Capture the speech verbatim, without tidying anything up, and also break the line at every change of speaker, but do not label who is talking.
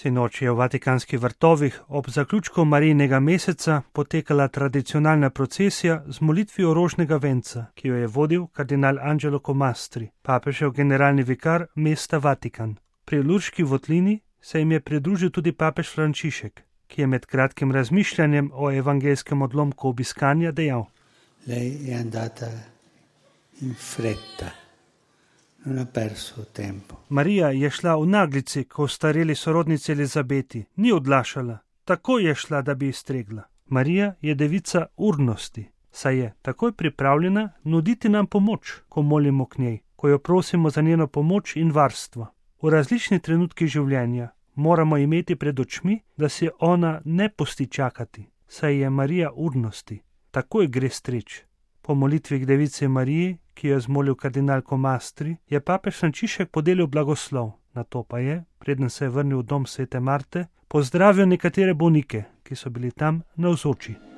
Sinoči je v Vatikanskih vrtovih ob zaključku Marijinega meseca potekala tradicionalna procesija z molitvijo rožnega venca, ki jo je vodil kardinal Angelo Comastri, papežev generalni vikar mesta Vatikan. Pri Lurški votlini se jim je pridružil tudi papež Frančišek, ki je med kratkim razmišljanjem o evangelskem odlomku obiskanja dejal:
Lei è andata in fretta. Non ha perso tempo.
Marija je šla v naglici k ostareli sorodnici Elizabeti, ni odlašala, takoj je šla, da bi iztregla. Marija je devica urnosti, saj je takoj pripravljena nuditi nam pomoč, ko molimo k njej, ko jo prosimo za njeno pomoč in varstvo. V različnih trenutkih življenja moramo imeti pred očmi, da si ona ne pusti čakati, saj je Marija urnosti, takoj gre streč. Po molitvi k devici Mariji, ki jo je zmolil kardinal Comastri, je papež Frančišek podelil blagoslov, nato pa je, preden se je vrnil v dom svete Marte, pozdravil nekatere bolnike, ki so bili tam navzoči.